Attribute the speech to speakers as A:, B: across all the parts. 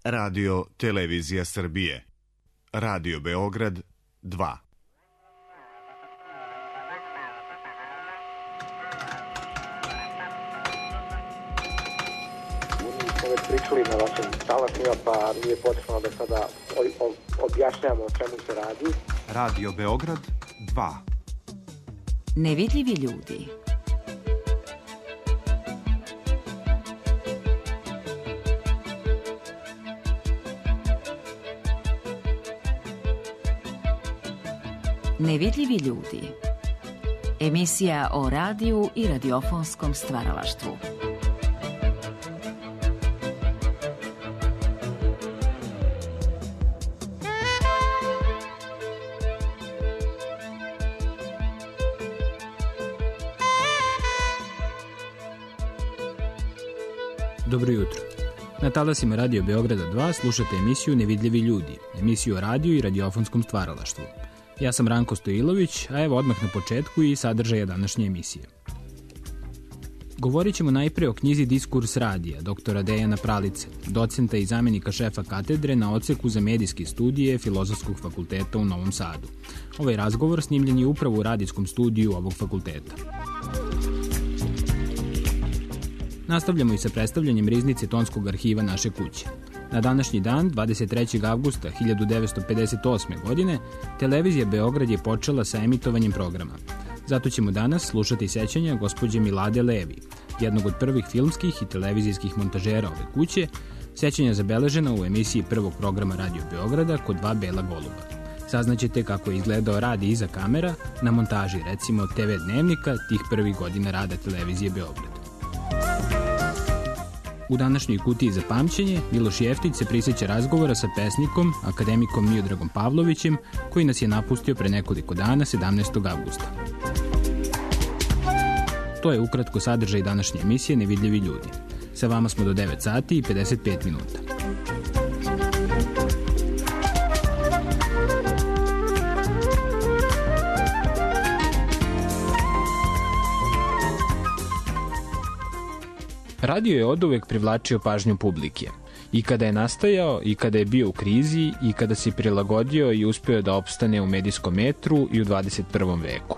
A: Radio Televizija Srbije. Radio Beograd 2.
B: Već pričali na vašim talasima, pa nije potrebno da sada objašnjamo o čemu se radi.
C: Radio Beograd 2.
D: Nevidljivi ljudi. Nevidljivi ljudi. Emisija o radiju i radiofonskom stvaralaštvu.
E: Dobro jutro. Na talasima Radio Beograda 2 slušate emisiju Nevidljivi ljudi, emisiju o radiju i radiofonskom stvaralaštvu. Ja sam Ranko Stojilović, a evo odmah na početku i sadržaja današnje emisije. Govorit ćemo najpre o knjizi Diskurs radija, doktora Dejana Pralice, docenta i zamenika šefa katedre na odseku za medijske studije Filozofskog fakulteta u Novom Sadu. Ovaj razgovor snimljen je upravo u radijskom studiju ovog fakulteta. Nastavljamo i sa predstavljanjem riznice tonskog arhiva naše kuće. Na današnji dan, 23. avgusta 1958. godine, televizija Beograd je počela sa emitovanjem programa. Zato ćemo danas slušati sećanja gospođe Milade Levi, jednog od prvih filmskih i televizijskih montažera ove kuće, sećanja zabeležena u emisiji prvog programa Radio Beograda kod dva bela goluba. Saznaćete kako je izgledao rad iza kamera na montaži, recimo TV dnevnika tih prvih godina rada televizije Beograd. U današnjoj kutiji za pamćenje Miloš Jeftić se prisjeća razgovora sa pesnikom, akademikom Miodragom Pavlovićem, koji nas je napustio pre nekoliko dana, 17. avgusta. To je ukratko sadržaj današnje emisije Nevidljivi ljudi. Sa vama smo do 9 sati i 55 minuta. Radio je oduvek privlačio pažnju publike. I kada je nastajao, i kada je bio u krizi, i kada se prilagodio i uspeo da opstane u medijskom metru i u 21. veku.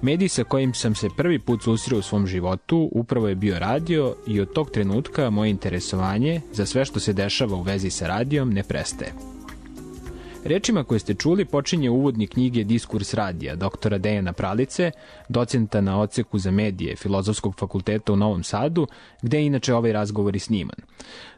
E: Medij sa kojim sam se prvi put susreo u svom životu upravo je bio radio i od tog trenutka moje interesovanje za sve što se dešava u vezi sa radijom ne prestaje. Rečima koje ste čuli počinje uvodnik knjige Diskurs radija, doktora Dejana Pralice, docenta na odseku za medije Filozofskog fakulteta u Novom Sadu, gde je inače ovaj razgovor i sniman.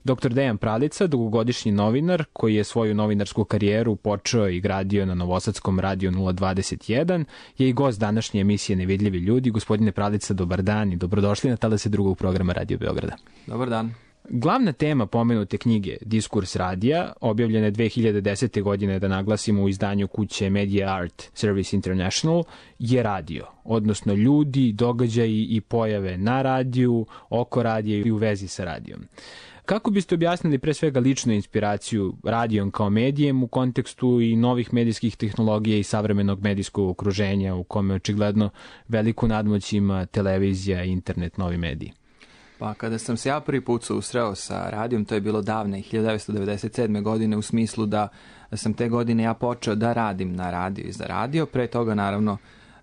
E: Doktor Dejan Pralica, dugogodišnji novinar, koji je svoju novinarsku karijeru počeo i gradio na Novosadskom radiju 021, je i gost današnje emisije Nevidljivi ljudi. Gospodine Pralica, dobar dan i dobrodošli na talase drugog programa Radio Beograda.
F: Dobar dan.
E: Glavna tema pomenute knjige Diskurs radija, objavljene 2010. godine, da naglasimo, u izdanju kuće Media Art Service International, je radio, odnosno ljudi, događaji i pojave na radiju, oko radija i u vezi sa radijom. Kako biste objasnili pre svega ličnu inspiraciju radijom kao medijem u kontekstu i novih medijskih tehnologija i savremenog medijskog okruženja u kome očigledno veliku nadmoć ima televizija, internet, novi mediji?
F: Pa kada sam se ja prvi put susreo sa radijom, to je bilo davne 1997. godine, u smislu da sam te godine ja počeo da radim na radio i za radio. Pre toga naravno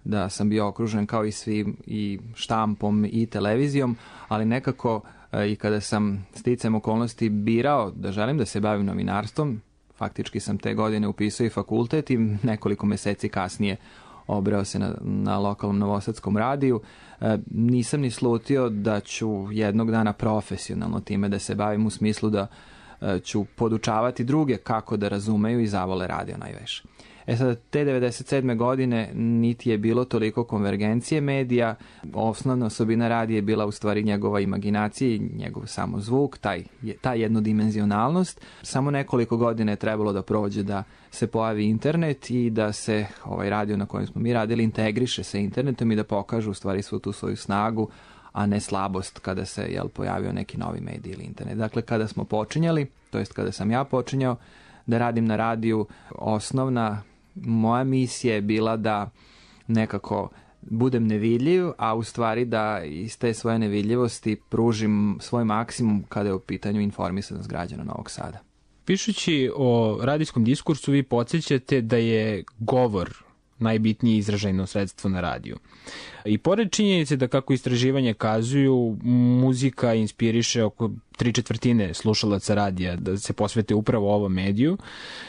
F: da sam bio okružen kao i svi i štampom i televizijom, ali nekako i kada sam sticajem okolnosti birao da želim da se bavim novinarstvom, faktički sam te godine upisao i fakultet i nekoliko meseci kasnije obreo se na lokalnom novosadskom radiju. Nisam ni slutio da ću jednog dana profesionalno time da se bavim, u smislu da ću podučavati druge kako da razumeju i zavole radio najviše. Sada, te 97. godine niti je bilo toliko konvergencije medija. Osnovna osobina radija je bila u stvari njegova imaginacija i njegov samo zvuk, ta jednodimenzionalnost. Samo nekoliko godina je trebalo da prođe da se pojavi internet i da se ovaj radio na kojem smo mi radili integriše sa internetom i da pokažu u stvari svu tu svoju snagu, a ne slabost kada se pojavio neki novi medij ili internet. Dakle, kada smo počinjali, to jest kada sam ja počinjao da radim na radiju, osnovna moja misija je bila da nekako budem nevidljiv, a u stvari da iz te svoje nevidljivosti pružim svoj maksimum kada je u pitanju informisanost građana Novog Sada.
E: Pišući o radijskom diskursu, vi podsjećate da je govor najbitnije izražajno sredstvo na radiju. I pored činjenice da, kako istraživanja kazuju, muzika inspiriše oko 3/4 slušalaca radija da se posvete upravo ovom mediju,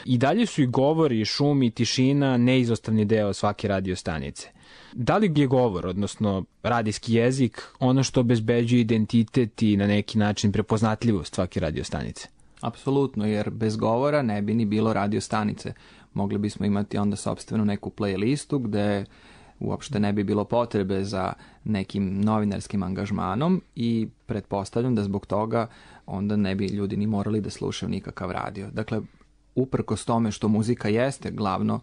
E: i dalje su i govor, i šum, i tišina neizostavni deo svake radio stanice. Da li je govor, odnosno radijski jezik, ono što obezbeđuje identitet i na neki način prepoznatljivost svake radio stanice?
F: Apsolutno, jer bez govora ne bi ni bilo radio stanice. Mogli bismo imati onda sopstvenu neku playlistu gde uopšte ne bi bilo potrebe za nekim novinarskim angažmanom i pretpostavljam da zbog toga onda ne bi ljudi ni morali da slušaju nikakav radio. Dakle, uprkos tome što muzika jeste glavno,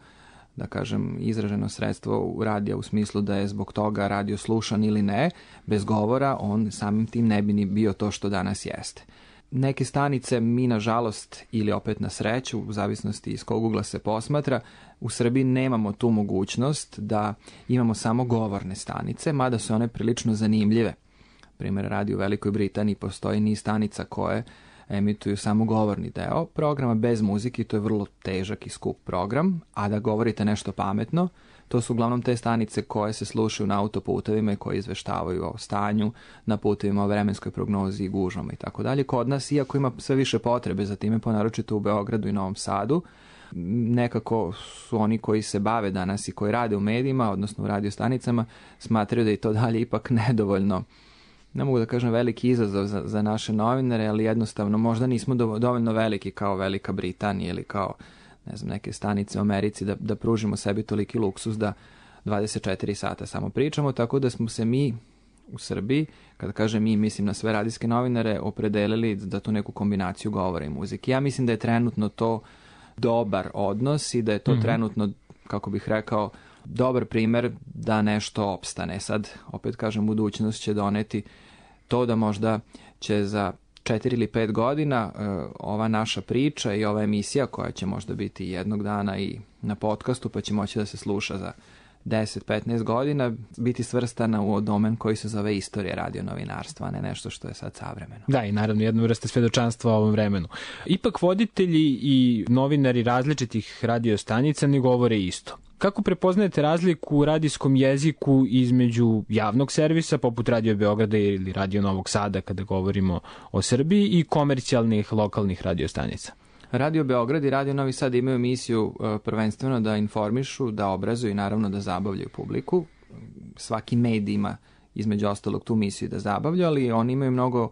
F: da kažem, izraženo sredstvo u radija u smislu da je zbog toga radio slušan ili ne, bez govora on samim tim ne bi ni bio to što danas jeste. Neke stanice mi, nažalost, ili opet na sreću, u zavisnosti iz kog ugla se posmatra, u Srbiji nemamo tu mogućnost da imamo samo govorne stanice, mada su one prilično zanimljive. Primjer, radi u Velikoj Britaniji postoji niz stanica koje emituju samo govorni deo programa bez muzike, to je vrlo težak i skup program, a da govorite nešto pametno, to su uglavnom te stanice koje se slušaju na autoputevima i koje izveštavaju o stanju na putevima, o vremenskoj prognozi i gužvama i tako dalje. Kod nas, iako ima sve više potrebe za time, naročito u Beogradu i Novom Sadu, nekako su oni koji se bave danas i koji rade u medijima, odnosno u radio stanicama, smatraju da je to dalje ipak nedovoljno. Ne mogu da kažem veliki izazov za naše novinare, ali jednostavno možda nismo dovoljno veliki kao Velika Britanija ili kao, ne znam, neke stanice u Americi da pružimo sebi toliki luksus da 24 sata samo pričamo, tako da smo se mi u Srbiji, kada kažem mi, mislim na sve radijske novinare, opredelili da tu neku kombinaciju govora i muzike. Ja mislim da je trenutno to dobar odnos i da je to trenutno, kako bih rekao, dobar primer da nešto opstane. Sad, opet kažem, budućnost će doneti to da možda će za 4 ili 5 godina ova naša priča i ova emisija, koja će možda biti jednog dana i na podcastu, pa će moći da se sluša za 10-15 godina, biti svrstana u domen koji se zove istorija radionovinarstva, a ne nešto što je sad savremeno.
E: Da, i naravno jedna vrsta svedočanstva o ovom vremenu. Ipak voditelji i novinari različitih radiostanica ne govore isto. Kako prepoznajete razliku u radijskom jeziku između javnog servisa, poput Radio Beograda ili Radio Novog Sada, kada govorimo o Srbiji, i komercijalnih lokalnih radiostanica?
F: Radio Beograd i Radio Novi Sad imaju misiju prvenstveno da informišu, da obrazuju i naravno da zabavljaju publiku. Svaki medij ima između ostalog tu misiju da zabavlja, ali oni imaju mnogo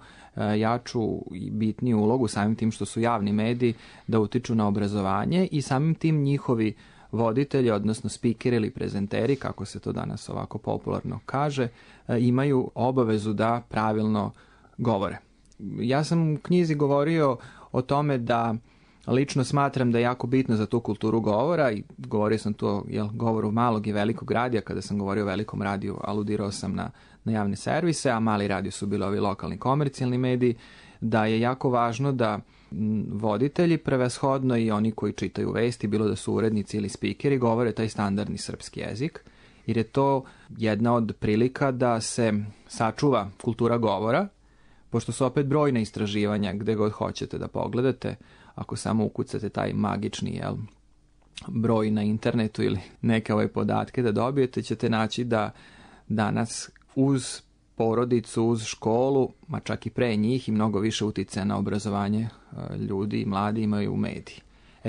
F: jaču i bitniju ulogu samim tim što su javni mediji da utiču na obrazovanje i samim tim njihovi voditelji, odnosno spikeri ili prezenteri, kako se to danas ovako popularno kaže, imaju obavezu da pravilno govore. Ja sam u knjizi govorio o tome da lično smatram da je jako bitno za tu kulturu govora i govorio sam tu o govoru malog i velikog radija. Kada sam govorio o velikom radiju, aludirao sam na javne servise, a mali radio su bili ovi lokalni komercijalni mediji, da je jako važno da voditelji prevashodno i oni koji čitaju vesti, bilo da su urednici ili spikeri, govore taj standardni srpski jezik, jer je to jedna od prilika da se sačuva kultura govora, pošto su opet brojna istraživanja gde god hoćete da pogledate, ako samo ukucate taj magični broj na internetu ili neke ove podatke da dobijete, ćete naći da danas uz porodicu, uz školu, ma čak i pre njih, i mnogo više uticaja na obrazovanje ljudi i mladi imaju u mediji.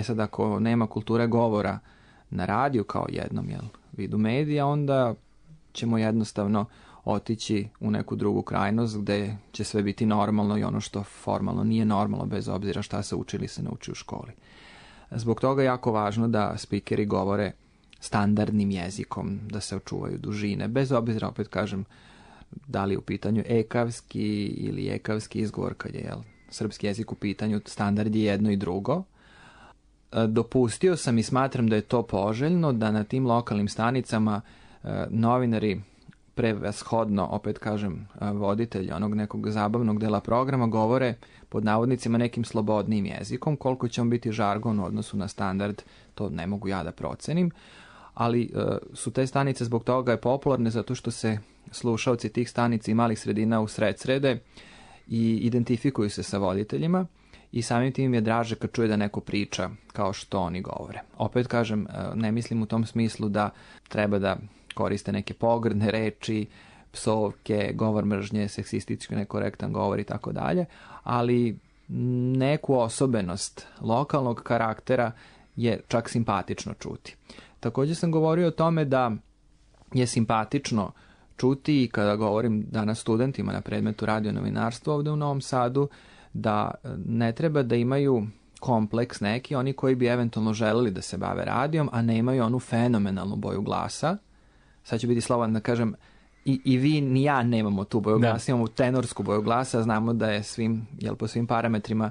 F: Sad, ako nema kulture govora na radiju kao jednom vidu medija, onda ćemo jednostavno otići u neku drugu krajnost gde će sve biti normalno i ono što formalno nije normalno, bez obzira šta se uči ili se nauči u školi. Zbog toga je jako važno da spikeri govore standardnim jezikom, da se očuvaju dužine, bez obzira, opet kažem, da li u pitanju ekavski ili ekavski izgovor, kad je srpski jezik u pitanju, standard je jedno i drugo. Dopustio sam i smatram da je to poželjno, da na tim lokalnim stanicama novinari prevashodno, opet kažem, voditelji onog nekog zabavnog dela programa govore pod navodnicima nekim slobodnim jezikom. Koliko će on biti žargon u odnosu na standard, to ne mogu ja da procenim, ali su te stanice zbog toga je popularne zato što se slušaoci tih stanica i malih sredina u srede i identifikuju se sa voditeljima i samim tim je draže kad čuje da neko priča kao što oni govore. Opet kažem, ne mislim u tom smislu da treba da koriste neke pogrdne reči, psovke, govor mržnje, seksistički nekorektan govor i tako dalje, ali neku osobenost lokalnog karaktera je čak simpatično čuti. Također sam govorio o tome da je simpatično čuti, i kada govorim danas studentima na predmetu radio novinarstva ovdje u Novom Sadu, da ne treba da imaju kompleks neki, oni koji bi eventualno želeli da se bave radijom, a ne imaju onu fenomenalnu boju glasa. Sad ću biti slobodan da kažem, i vi ni ja nemamo tu boju glasa, imamo tenorsku boju glasa, znamo da je po svim parametrima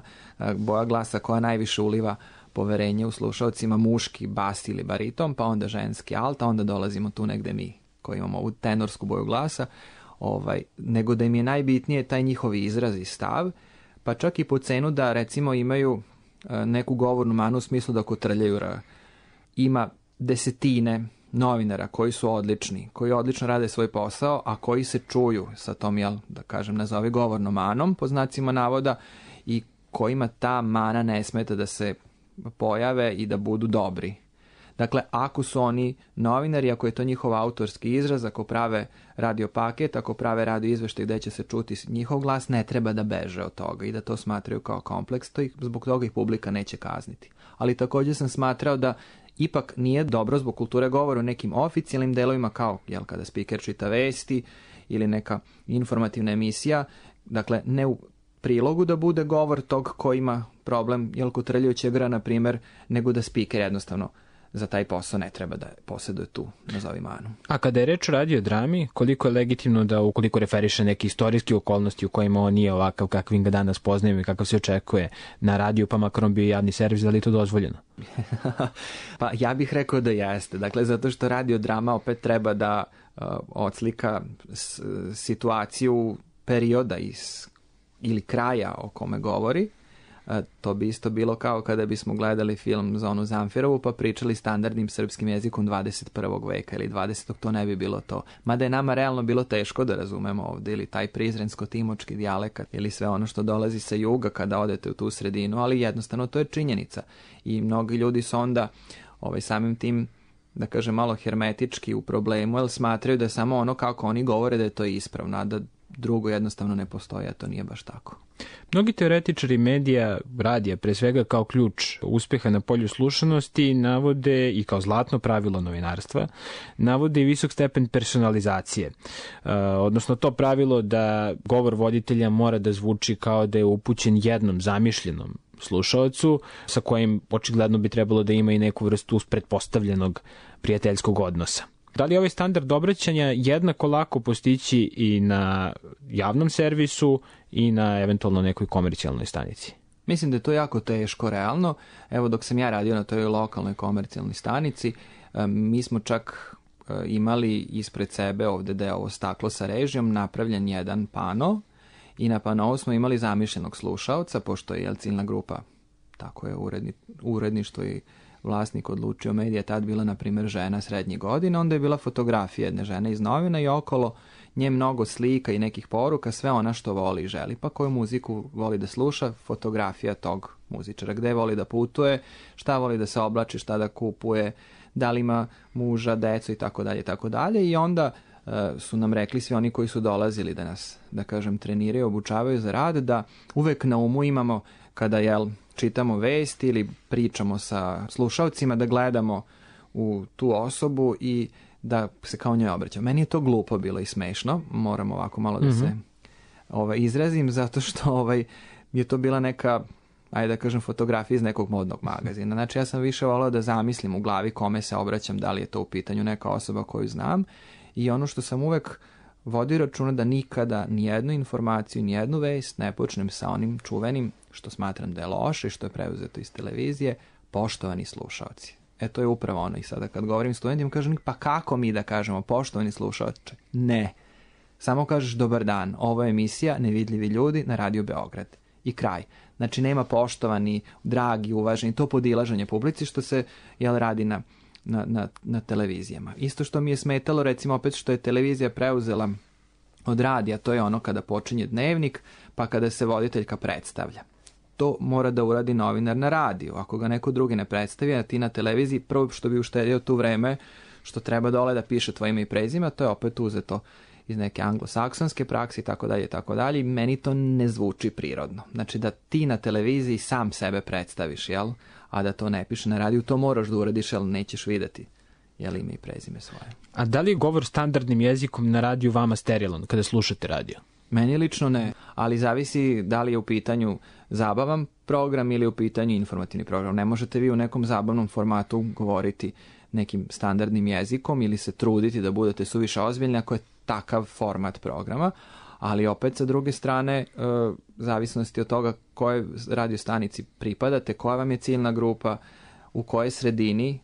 F: boja glasa koja najviše uliva poverenje u slušalcima, muški bas ili bariton, pa onda ženski alt, a onda dolazimo tu negde mi koji imamo ovu tenorsku boju glasa, nego da im je najbitnije taj njihov izraz i stav, pa čak i po cenu da recimo imaju neku govornu manu u smislu da kotrljaju. Ima desetine novinara koji su odlični, koji odlično rade svoj posao, a koji se čuju sa tom, da kažem, nazovi govornom manom, po znacima navoda, i kojima ta mana ne smeta da se pojave i da budu dobri. Dakle, ako su oni novinari, ako je to njihov autorski izraz, ako prave radio paket, ako prave radio izveštaj gde će se čuti njihov glas, ne treba da beže od toga i da to smatraju kao kompleks, to zbog toga ih publika neće kazniti. Ali također sam smatrao da ipak nije dobro zbog kulture govora u nekim oficijalnim delovima, kao kada spiker čita vesti ili neka informativna emisija, dakle ne u prilogu da bude govor tog ko ima problem, kotrljajući igra, na primjer, nego da spiker jednostavno za taj posao ne treba da posjeduje tu nazovi manu.
E: A kada je reč o radiodrami, koliko je legitimno da ukoliko referiše neke istorijske okolnosti u kojima on nije ovakav kakvim ga danas poznajemo i kakav se očekuje na radiju, pa makar on bio javni servis, da li je to dozvoljeno?
F: Pa ja bih rekao da jeste. Dakle, zato što radiodrama opet treba da odslika situaciju perioda ili kraja o kome govori. To bi isto bilo kao kada bismo gledali film Zonu Zamfirovu pa pričali standardnim srpskim jezikom 21. veka ili 20. to ne bi bilo to. Mada je nama realno bilo teško da razumemo ovdje ili taj prizrensko-timočki dijalekat ili sve ono što dolazi sa juga kada odete u tu sredinu, ali jednostavno to je činjenica. I mnogi ljudi su onda samim tim, da kažem, malo hermetički u problemu, jer smatraju da je samo ono kako oni govore da je to ispravno, a da drugo jednostavno ne postoji, a to nije baš tako.
E: Mnogi teoretičari medija, radija, pre svega kao ključ uspeha na polju slušanosti, navode i kao zlatno pravilo novinarstva, navode i visok stepen personalizacije. Odnosno to pravilo da govor voditelja mora da zvuči kao da je upućen jednom zamišljenom slušaocu, sa kojim očigledno bi trebalo da ima i neku vrstu pretpostavljenog prijateljskog odnosa. Da li je ovaj standard obraćanja jednako lako postići i na javnom servisu i na eventualno nekoj komercijalnoj stanici?
F: Mislim da je to jako teško realno. Evo, dok sam ja radio na toj lokalnoj komercijalnoj stanici, mi smo čak imali ispred sebe ovdje da je ovo staklo sa režijom napravljen jedan pano i na panovu smo imali zamišljenog slušaoca, pošto je ciljna grupa, tako je uredništvo i vlasnik odlučio medija, tad bila na primjer žena srednjih godina, onda je bila fotografija jedne žene iz novina i okolo nje mnogo slika i nekih poruka, sve ona što voli i želi, pa koju muziku voli da sluša, fotografija tog muzičara, gde voli da putuje, šta voli da se oblači, šta da kupuje, da li ima muža, decu i tako dalje, tako dalje. I onda su nam rekli svi oni koji su dolazili da nas, da kažem, treniraju, obučavaju za rad, da uvek na umu imamo kada čitamo vesti ili pričamo sa slušalcima, da gledamo u tu osobu i da se kao njoj obraćamo. Meni je to glupo bilo i smešno, moram ovako malo da se izrazim, zato što je to bila neka, ajde da kažem, fotografija iz nekog modnog magazina. Znači ja sam više volao da zamislim u glavi kome se obraćam, da li je to u pitanju neka osoba koju znam, i ono što sam uvek vodio računa da nikada nijednu informaciju, nijednu vest ne počnem sa onim čuvenim, što smatram da je loše i što je preuzeto iz televizije, poštovani slušaoci. To je upravo ono. I sada kad govorim studentima, kažem, pa kako mi da kažemo poštovani slušaoče? Ne. Samo kažeš dobar dan, ovo je emisija Nevidljivi ljudi na Radio Beograd. I kraj. Znači nema poštovani, dragi, uvaženi, to podilaženje publici što se radi na televizijama. Isto što mi je smetalo, recimo opet što je televizija preuzela od radija, to je ono kada počinje dnevnik, pa kada se voditeljka predstavlja. to mora da uradi novinar na radiju. Ako ga neko drugi ne predstavi, a ti na televiziji, prvo što bi uštedio tu vreme, što treba dole da piše tvoje ime i prezime, to je opet uzeto iz neke anglosaksonske prakse i tako dalje, i meni to ne zvuči prirodno. Znači da ti na televiziji sam sebe predstaviš, jel? A da to ne piše na radiju, to moraš da uradiš, jel nećeš videti ime i prezime svoje.
E: A da li je govor standardnim jezikom na radiju vama sterilan kada slušate radio?
F: Meni lično ne, ali zavisi da li je u pitanju zabavan program ili je u pitanju informativni program. Ne možete vi u nekom zabavnom formatu govoriti nekim standardnim jezikom ili se truditi da budete suviše ozbiljni ako je takav format programa, ali opet sa druge strane, zavisnosti od toga kojoj radio stanici pripadate, koja vam je ciljna grupa, u kojoj sredini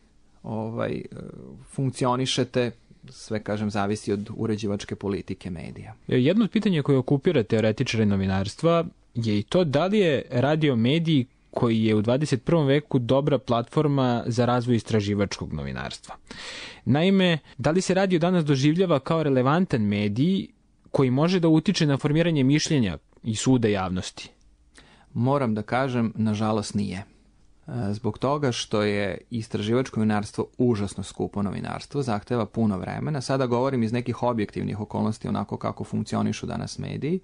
F: funkcionišete, sve kažem zavisi od uređivačke politike medija.
E: Jedno od pitanja koje okupira teoretičare novinarstva je i to da li je radio medij koji je u 21. veku dobra platforma za razvoj istraživačkog novinarstva. Naime, da li se radio danas doživljava kao relevantan medij koji može da utiče na formiranje mišljenja i suda javnosti?
F: Moram da kažem, nažalost nije. Zbog toga što je istraživačko novinarstvo užasno skupo novinarstvo, zahteva puno vremena. Sada govorim iz nekih objektivnih okolnosti, onako kako funkcionišu danas mediji.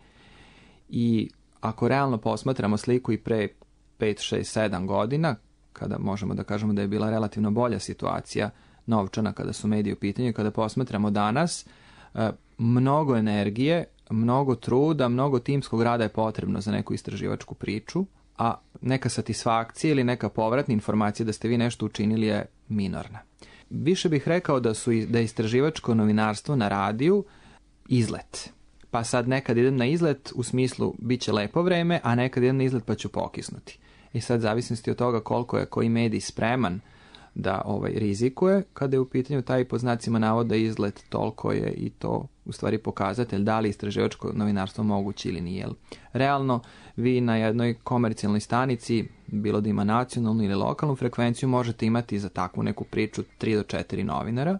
F: I ako realno posmatramo sliku i pre 5, 6, 7 godina, kada možemo da kažemo da je bila relativno bolja situacija novčana kada su mediji u pitanju, kada posmatramo danas, mnogo energije, mnogo truda, mnogo timskog rada je potrebno za neku istraživačku priču, a neka satisfakcija ili neka povratna informacija da ste vi nešto učinili je minorna. Više bih rekao da je istraživačko novinarstvo na radiju izlet. Pa sad nekad idem na izlet u smislu bit će lepo vreme, a nekad idem na izlet pa ću pokisnuti. I sad zavisnosti od toga koliko je koji medij spreman da rizikuje, kada je u pitanju taj pod znacima navoda izlet, toliko je i to u stvari pokazatelj da li istraživačko novinarstvo moguće ili nije. Realno, vi na jednoj komercijalnoj stanici, bilo da ima nacionalnu ili lokalnu frekvenciju, možete imati za takvu neku priču 3 do 4 novinara,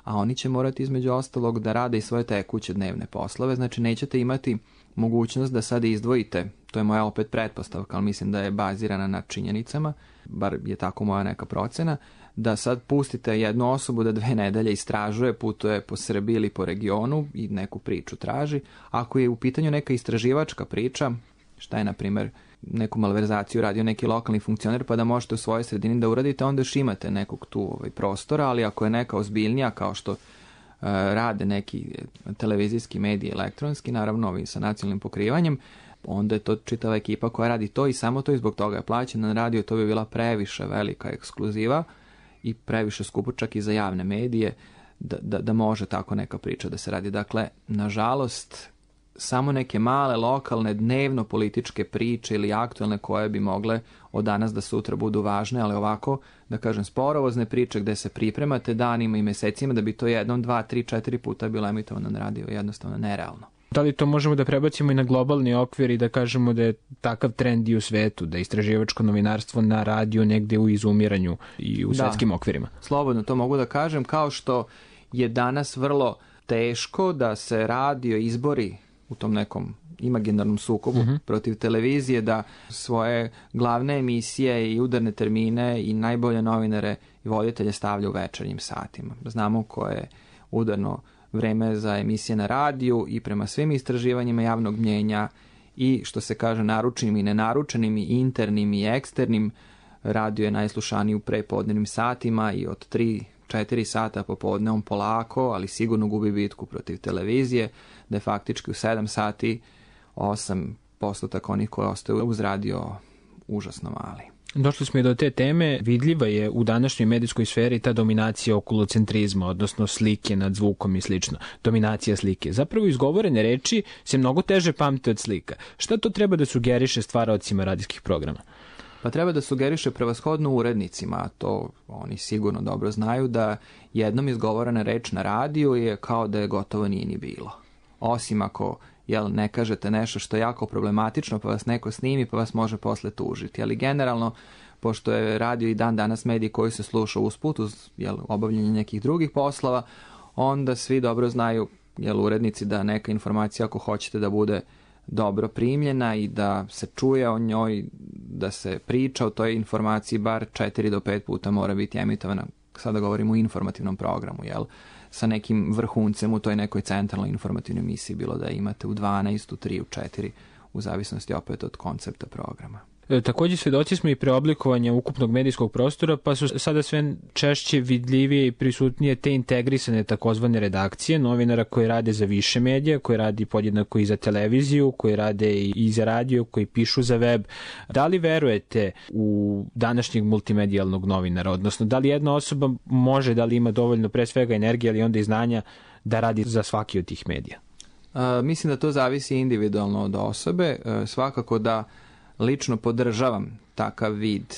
F: a oni će morati između ostalog da rade i svoje tekuće dnevne poslove, znači nećete imati mogućnost da sad izdvojite, to je moja opet pretpostavka, ali mislim da je bazirana na činjenicama, bar je tako moja neka procena, da sad pustite jednu osobu da 2 nedelje istražuje, putuje po Srbiji ili po regionu i neku priču traži. Ako je u pitanju neka istraživačka priča, šta je na primjer neku malverzaciju radio neki lokalni funkcioner, pa da možete u svojoj sredini da uradite, onda još imate nekog tu prostora, ali ako je neka ozbiljnija kao što rade neki televizijski mediji elektronski, naravno ovi sa nacionalnim pokrivanjem, onda je to čitava ekipa koja radi to i samo to i zbog toga je plaćena na radio, to bi bila previše velika ekskluziva i previše skupo čak i za javne medije da može tako neka priča da se radi. Dakle, nažalost, samo neke male, lokalne, dnevno političke priče ili aktualne koje bi mogle od danas da sutra budu važne, ali ovako, da kažem, sporovozne priče gde se pripremate danima i mesecima da bi to 1, 2, 3, 4 puta bilo emitovano na radio, jednostavno nerealno.
E: Da li to možemo da prebacimo i na globalni okvir i da kažemo da je takav trend i u svetu, da je istraživačko novinarstvo na radiju negde u izumiranju i u svetskim okvirima?
F: Slobodno to mogu da kažem, kao što je danas vrlo teško da se radio izbori u tom nekom imaginarnom sukobu protiv televizije, da svoje glavne emisije i udarne termine i najbolje novinare i voditelje stavlja u večernjim satima. Znamo koje je udarno vreme za emisije na radiju i prema svim istraživanjima javnog mnjenja i što se kaže naručenim i nenaručenim i internim i eksternim, radio je najslušaniji u prepodnevnim satima i od 3-4 sata popodne on polako, ali sigurno gubi bitku protiv televizije, da je faktički u 7 sati 8% onih koji ostaju uz radio užasno mali.
E: Došli smo i do te teme. Vidljiva je u današnjoj medijskoj sferi ta dominacija okulocentrizma, odnosno slike nad zvukom i slično. Dominacija slike. Zapravo izgovorene reči se mnogo teže pamte od slika. Šta to treba da sugeriše stvaraocima radijskih programa?
F: Pa treba da sugeriše prevashodno urednicima, a to oni sigurno dobro znaju, da jednom izgovorena reč na radiju je kao da je gotovo nije ni bilo. Osim ako ne kažete nešto što je jako problematično, pa vas neko snimi, pa vas može posle tužiti. Ali generalno, pošto je radio i dan danas medij koji se sluša usput uz obavljanje nekih drugih poslova, onda svi dobro znaju urednici da neka informacija ako hoćete da bude dobro primljena i da se čuje o njoj, da se priča o toj informaciji bar 4 do 5 puta mora biti emitovana. Sada govorimo o informativnom programu, jel? Sa nekim vrhuncem u toj nekoj centralnoj informativnoj emisiji, bilo da imate u 12, u 3, u 4, u zavisnosti opet od koncepta programa.
E: Također svedoci smo i preoblikovanja ukupnog medijskog prostora, pa su sada sve češće vidljivije i prisutnije te integrisane takozvane redakcije, novinara koji rade za više medija, koji radi podjednako i za televiziju, koji rade i za radio, koji pišu za web. Da li verujete u današnjeg multimedijalnog novinara, odnosno da li jedna osoba može, da li ima dovoljno pre svega energije, ali onda i znanja da radi za svaki od tih medija?
F: Mislim da to zavisi individualno od osobe. Svakako da lično podržavam takav vid,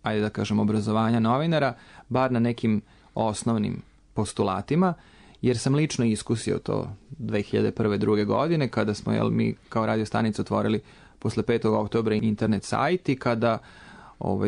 F: ajde da kažem, obrazovanja novinara, bar na nekim osnovnim postulatima, jer sam lično iskusio to 2001-2002 godine, kada smo mi kao radio stanica otvorili posle 5. oktobra internet sajt i kada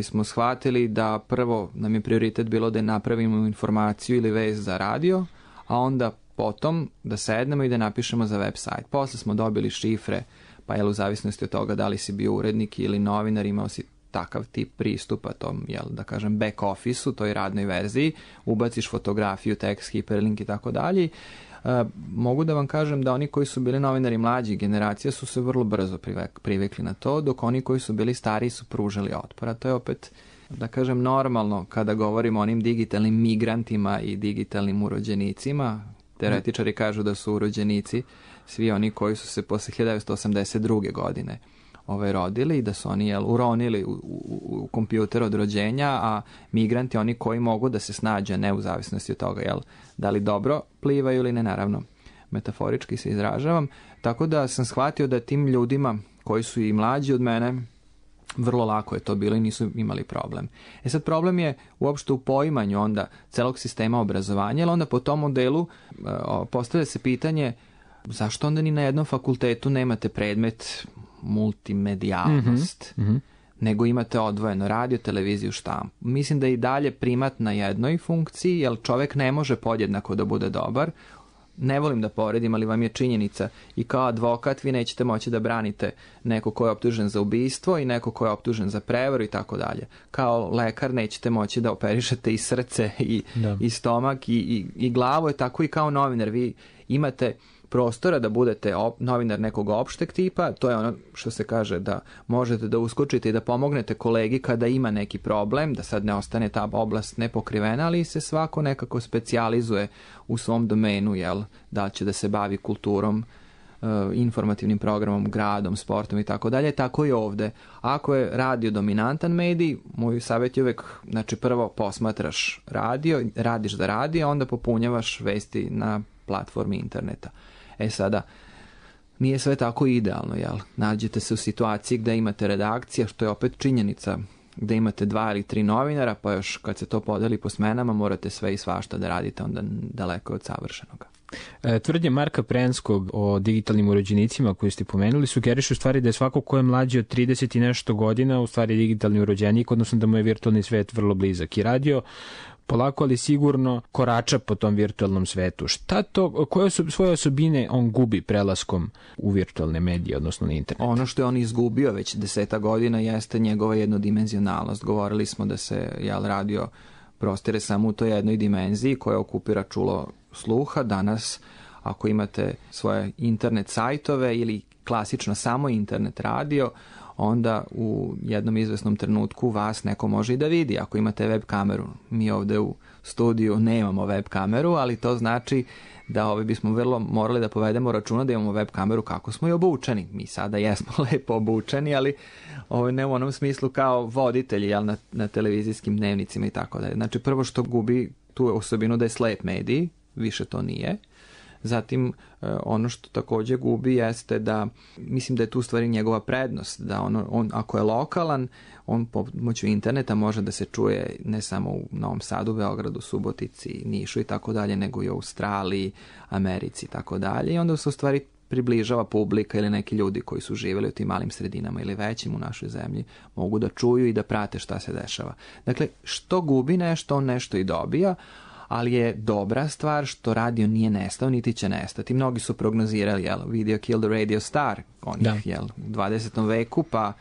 F: smo shvatili da prvo nam je prioritet bilo da napravimo informaciju ili vez za radio, a onda potom da sednemo i da napišemo za web sajt. Posle smo dobili šifre, pa u zavisnosti od toga da li si bio urednik ili novinar, imao si takav tip pristupa tom, da kažem, back office-u, toj radnoj verziji, ubaciš fotografiju, tekst, hiperlink i tako dalje. Mogu da vam kažem da oni koji su bili novinari mlađih generacija su se vrlo brzo privikli na to, dok oni koji su bili stariji su pružali otpora. To je opet, da kažem, normalno kada govorimo o onim digitalnim migrantima i digitalnim urođenicima. Teoretičari kažu da su urođenici svi oni koji su se posle 1982. godine rodili i da su oni uronili u kompjuter od rođenja, a migranti oni koji mogu da se snađe, ne u zavisnosti od toga da li dobro plivaju ili ne, naravno metaforički se izražavam. Tako da sam shvatio da tim ljudima koji su i mlađi od mene vrlo lako je to bilo i nisu imali problem. Sad problem je uopšte u poimanju onda celog sistema obrazovanja, jer onda po tom modelu postavlja se pitanje zašto onda ni na jednom fakultetu nemate predmet multimedijalnost, nego imate odvojeno radio, televiziju, štampu. Mislim da je i dalje primat na jednoj funkciji, jer čovek ne može podjednako da bude dobar. Ne volim da poredim, ali vam je činjenica i kao advokat vi nećete moći da branite neko ko je optužen za ubistvo i neko ko je optužen za prevaru i tako dalje. Kao lekar nećete moći da operišete i srce i stomak i glavu, je tako i kao novinar. Vi imate prostora da budete novinar nekog opšteg tipa, to je ono što se kaže da možete da uskočite i da pomognete kolegi kada ima neki problem, da sad ne ostane ta oblast nepokrivena, ali se svako nekako specijalizuje u svom domenu, da li će da se bavi kulturom, informativnim programom, gradom, sportom i tako dalje, tako i ovde. Ako je radio dominantan medij, moj savjet je uvek, znači prvo posmatraš radio, radiš za radio, onda popunjavaš vesti na platformi interneta. Sada, nije sve tako idealno, Nađete se u situaciji gde imate redakcija, što je opet činjenica, gde imate 2 ili 3 novinara, pa još kad se to podeli po smenama, morate sve i svašta da radite, onda daleko od savršenoga.
E: Tvrdnje Marka Prenskog o digitalnim urođenicima koji ste pomenuli sugerišu u stvari da je svako ko je mlađi od 30 i nešto godina u stvari digitalni urođenik, odnosno da mu je virtualni svet vrlo blizak. I radio polako, ali sigurno korača po tom virtualnom svetu. Šta to, koje svoje osobine on gubi prelaskom u virtualne medije, odnosno na internet?
F: Ono što je on izgubio već 10 godina jeste njegova jednodimenzionalnost. Govorili smo da se radio prostire samo u toj jednoj dimenziji koja okupira čulo sluha. Danas, ako imate svoje internet sajtove ili klasično samo internet radio, onda u jednom izvesnom trenutku vas neko može i da vidi ako imate web kameru. Mi ovde u studiju nemamo web kameru, ali to znači da bismo vrlo morali da povedemo računa da imamo web kameru kako smo i obučeni. Mi sada jesmo lepo obučeni, ali ne u onom smislu kao voditelji na televizijskim dnevnicima i tako dalje. Znači prvo što gubi tu osobinu da je slep medij, više to nije. Zatim, ono što također gubi jeste da, mislim da je tu stvari njegova prednost, da on ako je lokalan, on pomoću interneta može da se čuje ne samo u Novom Sadu, Beogradu, Subotici, Nišu i tako dalje, nego i u Australiji, Americi i tako dalje. I onda se u stvari približava publika ili neki ljudi koji su živjeli u tim malim sredinama ili većim u našoj zemlji, mogu da čuju i da prate šta se dešava. Dakle, što gubi nešto, on nešto i dobija, ali je dobra stvar što radio nije nestao, niti će nestati. Mnogi su prognozirali, video kill the radio star, onih, u 20. veku, pa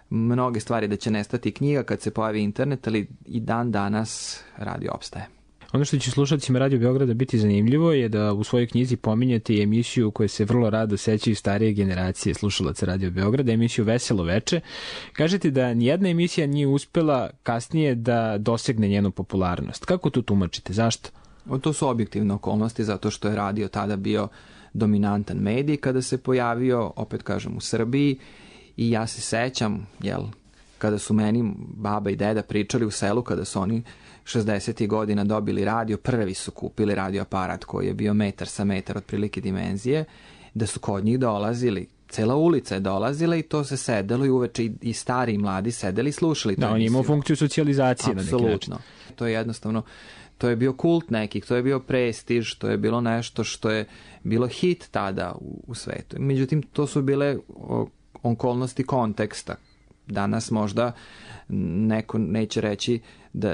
F: mnoge stvari da će nestati knjiga kad se pojavi internet, ali i dan danas radio opstaje.
E: Ono što će slušalcima Radio Beograda biti zanimljivo je da u svojoj knjizi pominjete i emisiju koju se vrlo rado sećaju starije generacije slušalaca Radio Beograda, emisiju Veselo veče. Kažete da nijedna emisija nije uspela kasnije da dosegne njenu popularnost. Kako to tumačite? Zašto?
F: To su objektivne okolnosti, zato što je radio tada bio dominantan medij kada se pojavio, opet kažem, u Srbiji, i ja se sećam, kada su meni baba i deda pričali u selu, kada su oni 60. godina dobili radio, prvi su kupili radio aparat koji je bio metar sa metar otprilike dimenzije, da su kod njih dolazili, cela ulica je dolazila i to se sedelo i uveče i stari i mladi sedeli i slušali.
E: Da, on je imao funkciju socijalizacije.
F: Apsolutno. To je jednostavno, to je bio kult nekih, to je bio prestiž, to je bilo nešto što je bilo hit tada u svetu. Međutim, to su bile okolnosti konteksta. Danas možda neko neće reći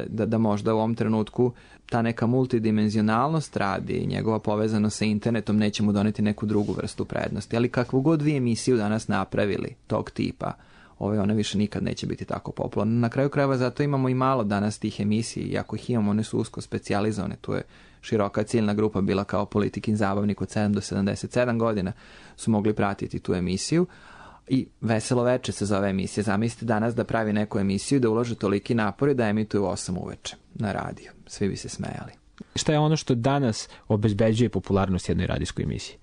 F: da možda u ovom trenutku ta neka multidimenzionalnost radi i njegova povezanost sa internetom neće mu doneti neku drugu vrstu prednosti. Ali kakvu god vi emisiju danas napravili tog tipa, ona više nikad neće biti tako popularna. Na kraju krajeva zato imamo i malo danas tih emisija, i ako ih imamo, one su usko specijalizovane. Tu je široka ciljna grupa bila kao Politikin zabavnik od 7 do 77 godina su mogli pratiti tu emisiju. I Veselo veče se zove emisija. Zamislite danas da pravi neku emisiju, da ulože toliki napori da emituju 8 uveče na radiju. Svi bi se smejali.
E: Šta je ono što danas obezbeđuje popularnost jednoj radijskoj emisiji?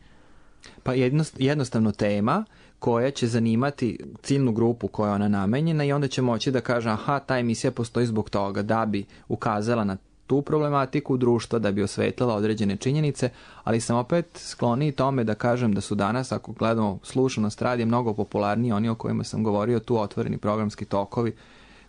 F: Pa jednostavno tema koja će zanimati ciljnu grupu koja je ona namenjena i onda će moći da kaže aha, ta emisija postoji zbog toga, da bi ukazala na tu problematiku društva, da bi osvetlila određene činjenice, ali sam opet skloniji tome da kažem da su danas, ako gledamo slušanost radija, mnogo popularniji oni o kojima sam govorio, tu otvoreni programski tokovi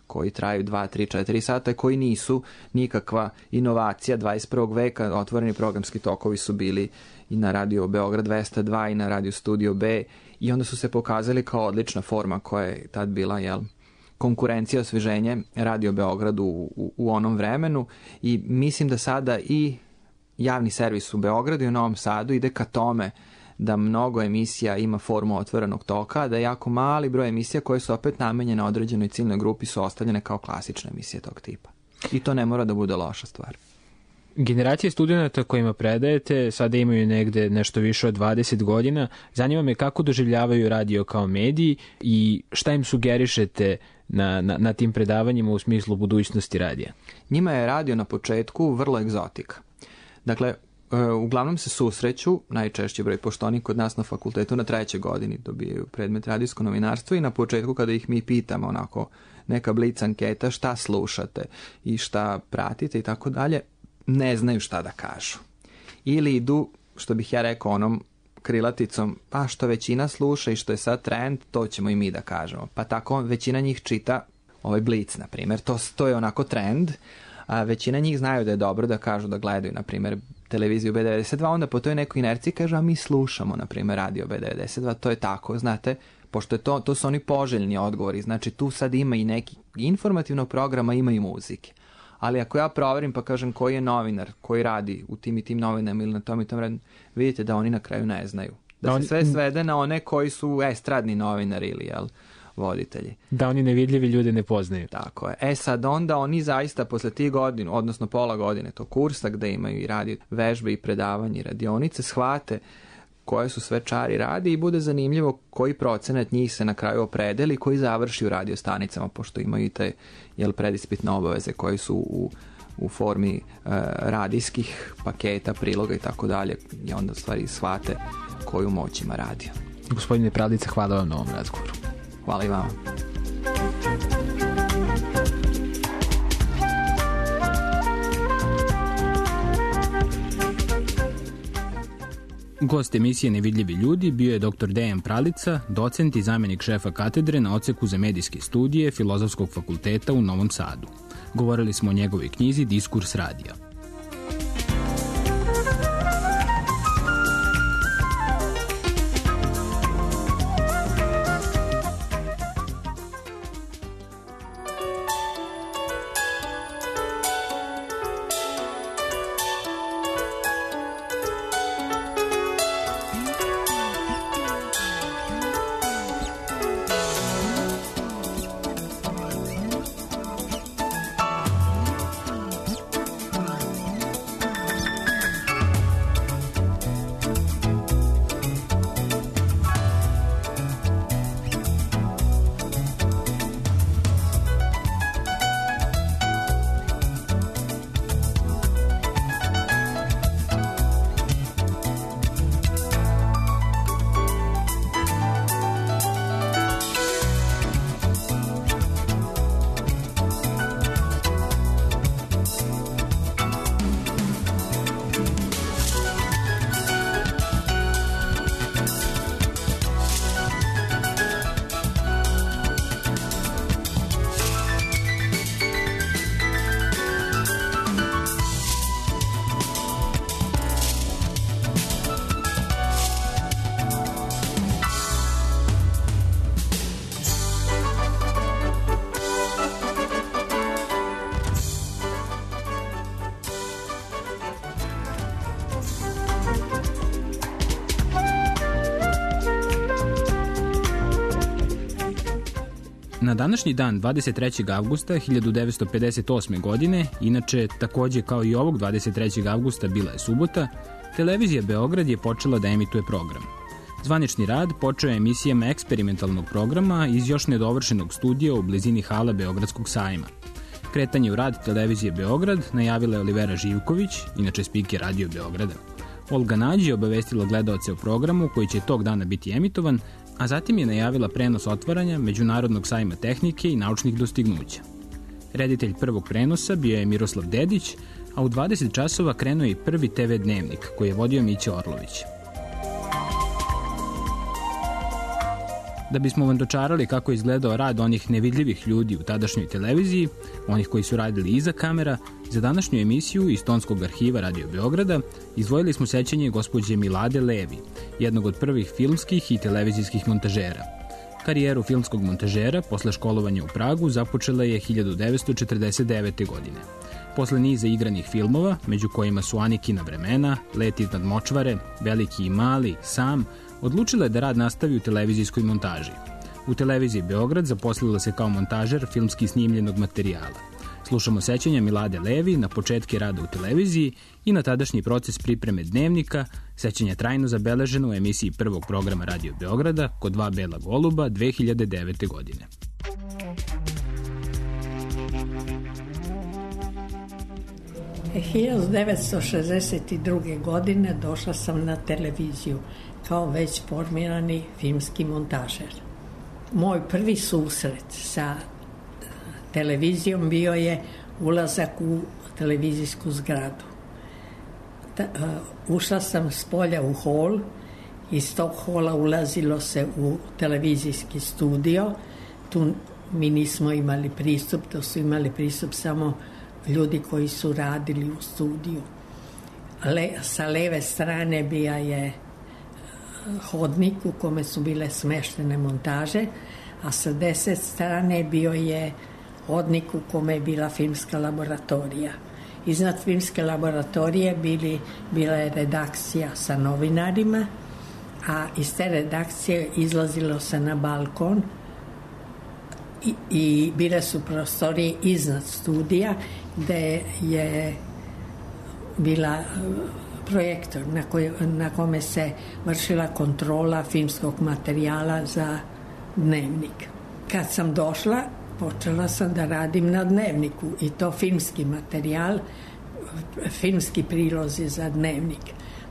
F: koji traju 2, 3, 4 sata, koji nisu nikakva inovacija 21. veka. Otvoreni programski tokovi su bili i na Radio Beograd 202 i na Radio Studio B, i onda su se pokazali kao odlična forma koja je tad bila, konkurencija, osveženje Radio Beogradu u onom vremenu, i mislim da sada i javni servis u Beogradu i u Novom Sadu ide ka tome da mnogo emisija ima formu otvorenog toka, da jako mali broj emisija koje su opet namenjene određenoj ciljnoj grupi su ostavljene kao klasične emisije tog tipa. I to ne mora da bude loša stvar.
E: Generacije studenta kojima predajete sada imaju negde nešto više od 20 godina. Zanima me kako doživljavaju radio kao medij i šta im sugerišete na tim predavanjima u smislu budućnosti radija.
F: Njima je radio na početku vrlo egzotika. Dakle, uglavnom se susreću, najčešće broj, pošto oni kod nas na fakultetu na 3. godini dobijaju predmet radijsko novinarstvo, i na početku kada ih mi pitamo onako neka blic anketa šta slušate i šta pratite i tako dalje, ne znaju šta da kažu. Ili idu, što bih ja rekao, onom krilaticom, pa što većina sluša i što je sad trend, to ćemo i mi da kažemo. Pa tako većina njih čita ovaj Blic, na primjer. To je onako trend, a većina njih znaju da je dobro da kažu da gledaju, na primjer, televiziju B92, onda po toj nekoj inerciji kaže, a mi slušamo, na primjer, radio B92, to je tako, znate, pošto je to su oni poželjni odgovori, znači tu sad ima i neki informativnog programa, ima i muzike. Ali ako ja proverim pa kažem koji je novinar, koji radi u tim i tim novinama ili na tom i tom radu, vidite da oni na kraju ne znaju. Da se sve svede na one koji su estradni novinari ili voditelji.
E: Da oni nevidljivi ljude ne poznaju.
F: Tako je. Sad onda oni zaista posle tih godina, odnosno pola godine tog kursa gde imaju i radi vežbe i predavanje i radionice, shvate koje su sve čari radi i bude zanimljivo koji procenat njih se na kraju opredeli, koji završi u radio stanicama, pošto imaju i te predispitne obaveze koje su u formi radijskih paketa, priloga i tako dalje, i onda stvari shvate koju moć ima radio.
E: Gospodine Pralica, hvala vam na ovom razgovoru.
F: Hvala i vama.
E: Gost emisije Nevidljivi ljudi bio je dr. Dejan Pralica, docent i zamjenik šefa katedre na odseku za medijske studije Filozofskog fakulteta u Novom Sadu. Govorili smo o njegovoj knjizi Diskurs radija. Na današnji dan, 23. avgusta 1958. godine, inače takođe kao i ovog 23. avgusta bila je subota, Televizija Beograd je počela da emituje program. Zvanični rad počeo je emisijama eksperimentalnog programa iz još nedovršenog studija u blizini hala Beogradskog sajma. Kretanje u rad Televizije Beograd najavila je Olivera Živković, inače spiker Radio Beograda. Olga Nađ je obavestila gledaoce o programu koji će tog dana biti emitovan, a zatim je najavila prenos otvaranja Međunarodnog sajma tehnike i naučnih dostignuća. Reditelj prvog prenosa bio je Miroslav Dedić, a u 20 časova krenuo je i prvi TV dnevnik koji je vodio Mića Orlović. Da bismo vam dočarali kako je izgledao rad onih nevidljivih ljudi u tadašnjoj televiziji, onih koji su radili iza kamera, za današnju emisiju iz Tonskog arhiva Radio Beograda izdvojili smo sećanje gospođe Milade Levi, jednog od prvih filmskih i televizijskih montažera. Karijeru filmskog montažera posle školovanja u Pragu započela je 1949. godine. Posle niza igranih filmova, među kojima su Anikina vremena, Let iznad močvare, Veliki i mali, Sam, odlučila je da rad nastavi u televizijskoj montaži. U Televiziji Beograd zaposlila se kao montažer filmski snimljenog materijala. Slušamo sećanja Milade Levi na početke rada u televiziji i na tadašnji proces pripreme dnevnika, sećanja trajno zabeleženo u emisiji prvog programa Radio Beograda Kod dva bela goluba 2009. godine.
G: E, 1962. godine došla sam na televiziju kao već formirani filmski montažer. Moj prvi susret sa televizijom bio je ulazak u televizijsku zgradu. Ušla sam s polja u hol, iz tog hola ulazilo se u televizijski studio. Tu mi nismo imali pristup, to su imali pristup samo ljudi koji su radili u studiju. Sa leve strane bija je hodnik u kome su bile smeštene montaže, a sa desne strane bio je hodnik u kome je bila filmska laboratorija. Iznad filmske laboratorije bila je redakcija sa novinarima, a iz te redakcije izlazilo se na balkon i bile su prostorije iznad studija gde je bila projektor na kome se vršila kontrola filmskog materijala za dnevnik. Kad sam došla, počela sam da radim na dnevniku i to filmski materijal, filmski prilozi za dnevnik.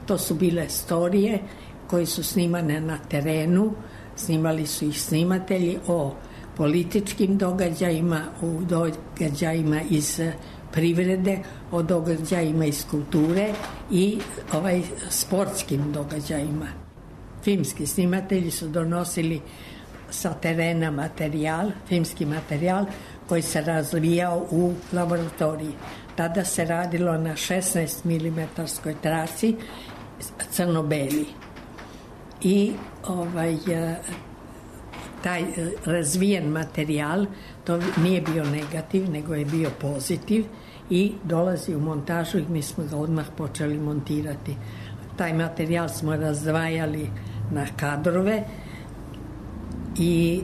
G: To su bile storije koje su snimane na terenu, snimali su ih snimatelji o političkim događajima, o događajima iz privrede, o događajima iz kulture i sportskim događajima. Filmski snimatelji su donosili sa terena materijal, filmski materijal koji se razvijao u laboratoriji. Tada se radilo na 16 mm traci crno-beli. I taj razvijen materijal, to nije bio negativ, nego je bio pozitiv i dolazi u montažu i mi smo ga odmah počeli montirati. Taj materijal smo razdvajali na kadrove i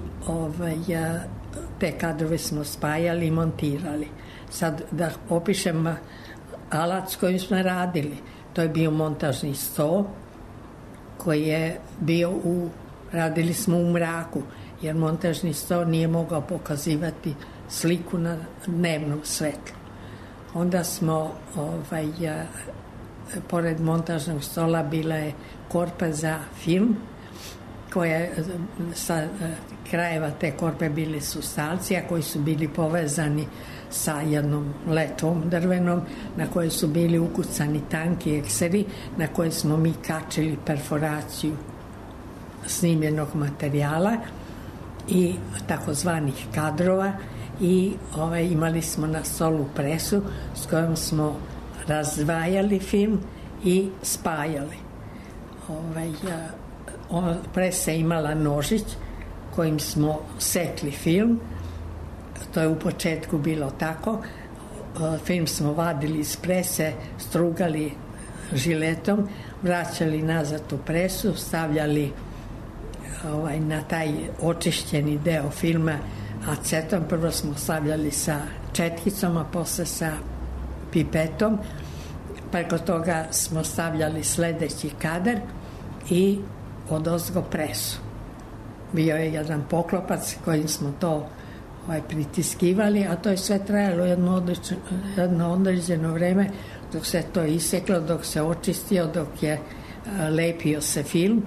G: te kadrove smo spajali i montirali. Sad da opišem alat s kojim smo radili. To je bio montažni sto koji je bio radili smo u mraku, jer montažni sto nije mogao pokazivati sliku na dnevnom svetlu. Onda smo, pored montažnog stola bila je korpa za film, koja sa krajeva te korpe bili su stalci, a koji su bili povezani sa jednom letvom drvenom na kojoj su bili ukucani tanki ekseri na koje smo mi kačili perforaciju snimljenog materijala i takozvanih kadrova i imali smo na stolu presu s kojom smo razdvajali film i spajali. Presa je imala nožić kojim smo sekli film. To je u početku bilo tako. Film smo vadili iz prese, strugali žiletom, vraćali nazad u presu, stavljali na taj očišćeni deo filma acetom. Prvo smo stavljali sa četkicom, a posle sa pipetom. Preko toga smo stavljali sledeći kadar i odozgo presu. Bio je jedan poklopac kojim smo to pritiskivali, a to je sve trajalo jedno određeno vreme dok se to iseklo, dok se očistio, dok je lepio se film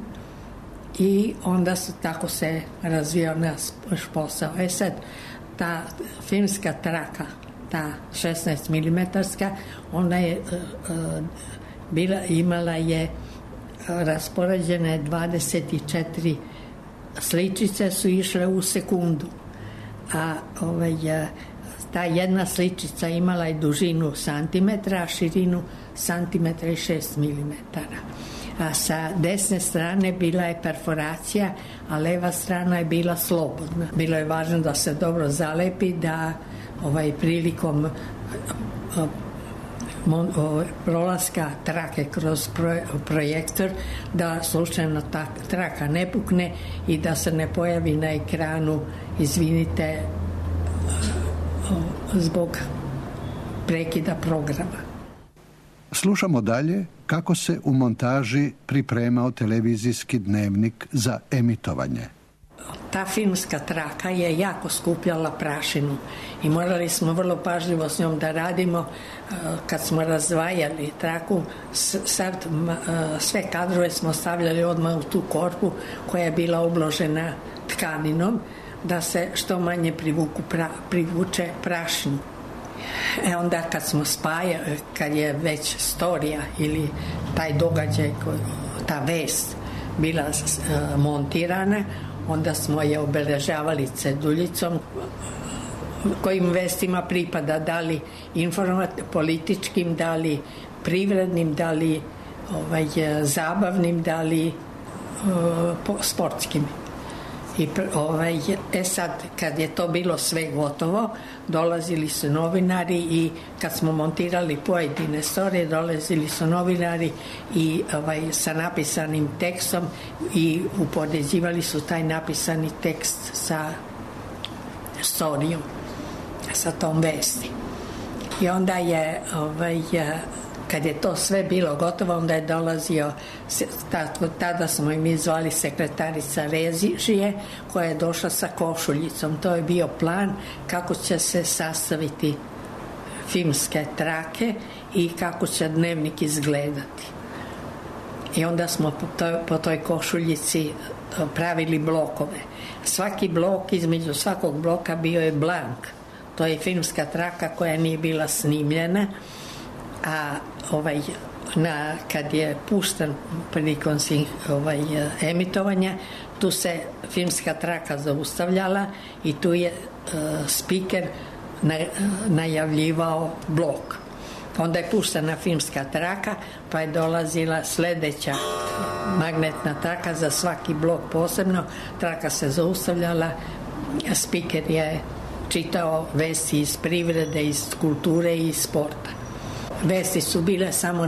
G: i onda tako se razvijao naš posao. Sad, ta filmska traka, ta 16 milimetarska, ona je imala je raspoređene 24 sličice su išle u sekundu, a ta jedna sličica imala je dužinu santimetra, a širinu santimetra i 6 milimetara. A sa desne strane bila je perforacija, a leva strana je bila slobodna. Bilo je važno da se dobro zalepi, da prilikom prolaska trake kroz projektor, da slučajno ta traka ne pukne i da se ne pojavi na ekranu, izvinite, zbog prekida programa.
H: Slušamo dalje kako se u montaži pripremao televizijski dnevnik za emitovanje.
G: Ta filmska traka je jako skupljala prašinu i morali smo vrlo pažljivo s njom da radimo. Kad smo razdvajali traku, sve kadrove smo stavljali odmah u tu korpu koja je bila obložena tkaninom, da se što manje privuče prašinu. Onda kad smo kad je već storija ili taj događaj, ta vest bila montirana, onda smo je obeležavali ceduljicom kojim vestima pripada, da li političkim, da li privrednim, da li zabavnim, da li sportskim. Sad, kad je to bilo sve gotovo, dolazili su novinari i kad smo montirali pojedine storije, dolazili su novinari i sa napisanim tekstom i upoređivali su taj napisani tekst sa storijom, sa tom vesti. I onda je kad je to sve bilo gotovo, onda je dolazio, tada smo im zvali sekretarica režije, koja je došla sa košuljicom. To je bio plan kako će se sastaviti filmske trake i kako će dnevnik izgledati. I onda smo po toj košuljici pravili blokove. Svaki blok, između svakog bloka bio je blank. To je filmska traka koja nije bila snimljena, a kad je pušten prilikom emitovanja, tu se filmska traka zaustavljala i tu je spiker najavljivao blok. Onda je puštena filmska traka, pa je dolazila sledeća magnetna traka za svaki blok posebno. Traka se zaustavljala, spiker je čitao vesti iz privrede, iz kulture i iz sporta. Vesti su bile samo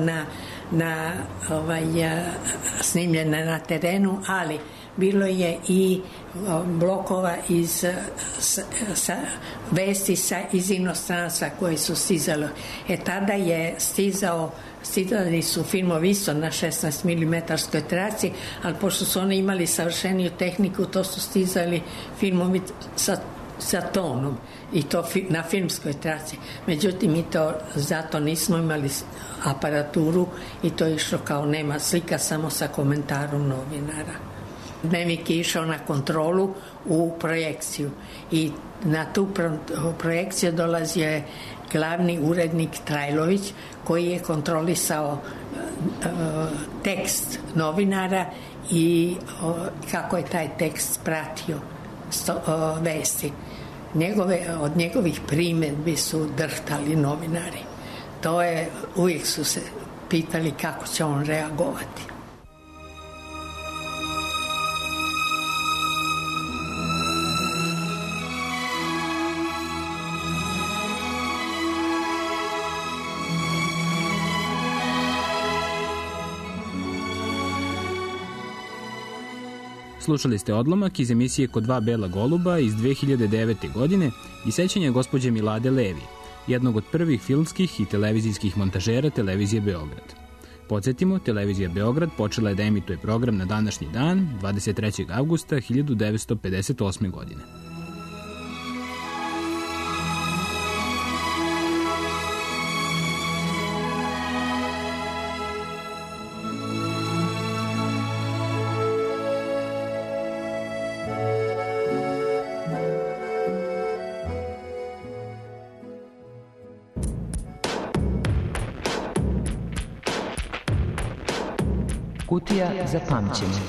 G: snimljene na terenu, ali bilo je i blokova iz vesti iz inostranstva koji su stizali. Tada je stizali su filmovi isto na 16 milimetarskoj traci, ali pošto su oni imali savršeniju tehniku, to su stizali filmovi sa tonom i to na filmskoj traci. Međutim, mi to zato nismo imali aparaturu i to je išlo kao nema slika, samo sa komentarom novinara. Dnevnik je išao na kontrolu u projekciju i na tu projekciju dolazio je glavni urednik Trajlović, koji je kontrolisao tekst novinara i kako je taj tekst pratio vesti. Od njegovih primjedbi su drhtali novinari. Uvijek su se pitali kako će on reagovati.
E: Slušali ste odlomak iz emisije Kod dva bela goluba iz 2009. godine i sećanja gospođe Milade Levi, jednog od prvih filmskih i televizijskih montažera Televizije Beograd. Podsjetimo, Televizija Beograd počela je da emituje program na današnji dan, 23. avgusta 1958. godine.
D: Kutija za pamćenje.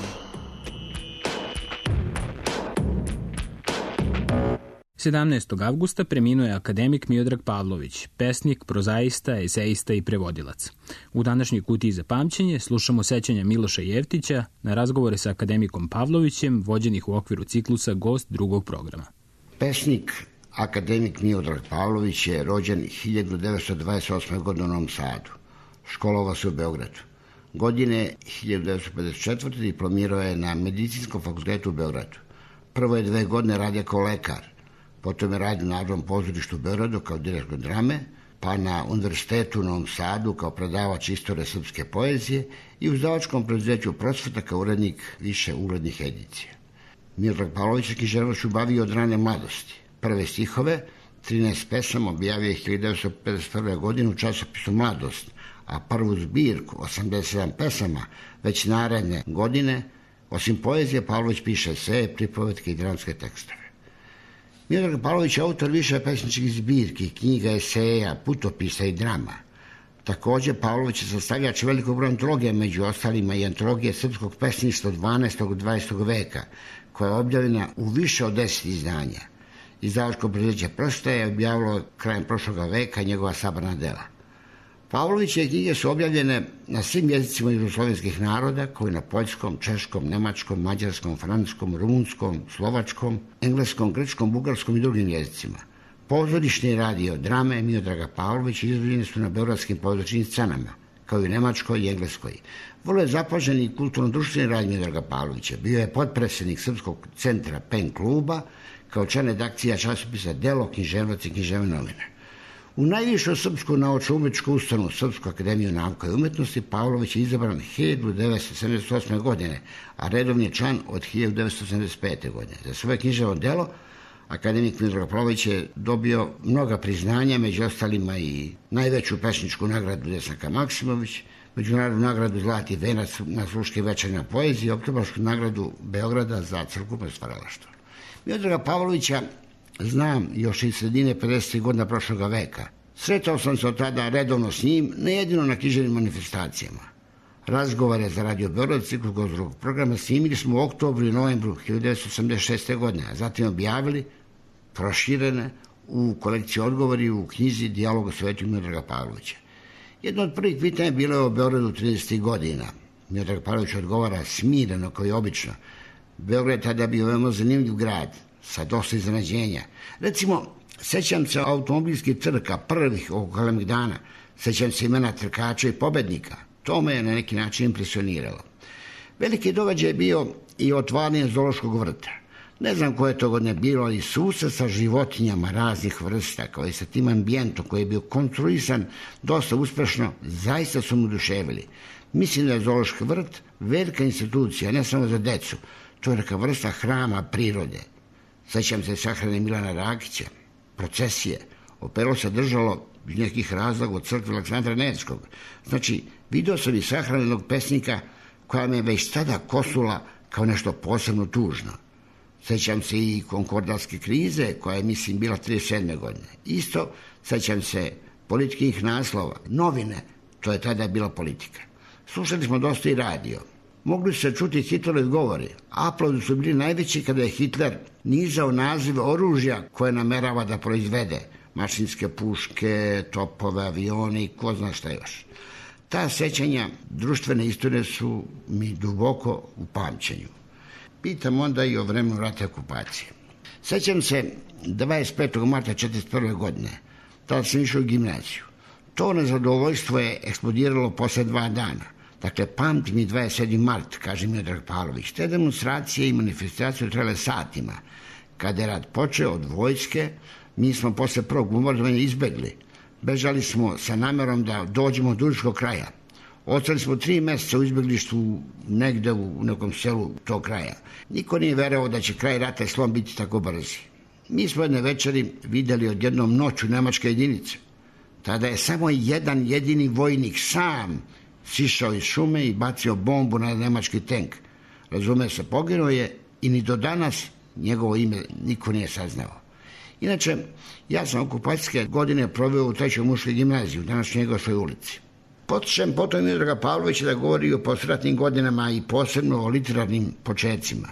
E: Sedamnaestog avgusta preminuo je akademik Miodrag Pavlović, pesnik, prozaista, esejista i prevodilac. U današnjoj Kutiji za pamćenje slušamo sećanja Miloša Jeftića na razgovore sa akademikom Pavlovićem, vođenih u okviru ciklusa Gost drugog programa.
I: Pesnik, akademik Miodrag Pavlović je rođen 1928. godine u Novom Sadu. Školovao se u Beogradu. Godine 1954. diplomirao je na Medicinskom fakultetu u Beogradu. Prvo je 2 godine radio kao lekar, potom je radio u Narodnom pozorištu u Beogradu kao direktor drame, pa na Univerzitetu u Novom Sadu kao predavač istorije srpske poezije i u izdavačkom preduzeću Prosveta kao urednik više uglednih edicija. Miodrag Pavlović je književnošću bavio od rane mladosti. Prve stihove, 13 pesama, objavio je 1951. godine u časopisu Mladost, a prvu zbirku, 87 pesama, već naredne godine, osim poezije, Pavlović piše eseje, pripovetke i dramske tekstove. Miodrag Pavlović je autor više pesničkih zbirki, knjiga, eseja, putopisa i drama. Također, Pavlović je sastavljač velikog broja antologija, među ostalima i antologije srpskog pesništva 12. i 20. veka, koja je objavljena u više od 10 izdanja. Izdavačko preduzeće Prsta je objavilo krajem prošlog veka njegova sabrana dela. Pavlovićeve knjige su objavljene na svim jezicima jugoslovenskih naroda, kao i na poljskom, češkom, nemačkom, mađarskom, francuskom, rumunskom, slovačkom, engleskom, grčkom, bugarskom i drugim jezicima. Pozorišni radio drame Miodraga Pavlovića izvođene su na beogradskim pozorišnim scenama, kao i u nemačkoj i engleskoj. Vrlo je zapažen i kulturno-društveni rad Miodraga Pavlovića. Bio je potpredsjednik Srpskog centra PEN kluba, kao član redakcija časopisa Delo, književnost i književne novine. U najvišu srpsku naučno-umetničku ustanovu, Srpsku akademiju nauka i umetnosti, Pavlović je izabran 1978. godine, a redovni je član od 1975. godine. Za svoje književno delo akademik Miodrag Pavlović je dobio mnoga priznanja, među ostalima i najveću pesničku nagradu Desnaka Maksimović, međunarodnu nagradu Zlati venac na Sluške večernja poezije i oktobarsku nagradu Beograda za crkveno stvaralaštvo. Miodraga Pavlovića znam još iz sredine 50. godina prošloga veka. Sretao sam se od tada redovno s njim, ne jedino na književnim manifestacijama. Razgovore za Radio Beograd, ciklus Gost drugog programa, snimili smo u oktobru i novembru 1986. godine, a zatim objavili, proširene u kolekciji odgovori u knjizi Dijalog o svetu Miodraga Pavlovića. Jedno od prvih pitanja bilo je o Beogradu 30. godina. Miodrag Pavlović odgovara smireno kao i obično. Beograd je tada bio veoma zanimljiv grad, sa dosta iznenađenja. Recimo, sećam se automobilskih trka, prvih oko Kalemegdana, sećam se imena trkača i pobednika. To me je na neki način impresioniralo. Veliki događaj je bio i otvaranje zoološkog vrta. Ne znam koje to godine bilo, ali susret sa životinjama raznih vrsta, kao i sa tim ambijentom koji je bio konstruisan dosta uspešno, zaista su mu oduševili. Mislim da je zoološki vrt velika institucija, ne samo za decu. To je neka vrsta hrama prirode. Sećam se sahrane Milana Rakića, procesije. Opelo se držalo iz nekih razloga od crkve Aleksandra Nevskog. Znači, vidio sam i sahranjenog pesnika koja me već tada kosula kao nešto posebno tužno. Sećam se i konkordatske krize koja je, mislim, bila 37. godine. Isto sećam se političkih naslova, novine, to je tada bila politika. Slušali smo dosta i radio. Mogli su se čuti Hitlerovi govori. Aplaudi su bili najveći kada je Hitler nizao nazive oružja koje namerava da proizvede. Mašinske puške, topove, avioni, ko zna šta još. Ta sećanja društvene istorije su mi duboko u pamćenju. Pitam onda i o vremenu rata i okupacije. Sećam se 25. marta 1941. godine. Tada sam išao u gimnaziju. To nezadovoljstvo je eksplodiralo posle 2 dana. Dakle, pamti mi 27. mart, kaže Miodrag Pavlović. Te demonstracije i manifestacije trajale satima. Kada je rat počeo od vojske, mi smo posle prvog bombardovanja izbegli. Bežali smo sa namerom da dođemo do Užičkog kraja. Ostali smo 3 meseca u izbeglištvu negde u nekom selu tog kraja. Niko nije verovao da će kraj rata i slom biti tako brzi. Mi smo jedne večeri videli odjednom noću nemačke jedinice. Tada je samo jedan jedini vojnik sam sišao iz šume i bacio bombu na nemački tank. Razume se, poginuo je i ni do danas njegovo ime niko nije saznao. Inače, ja sam okupacijske godine proveo u 3. muškoj gimnaziji u današnjoj Njegošoj ulici. Potičem potom Miodraga Pavlovića da govori o posliratnim godinama i posebno o literarnim počecima.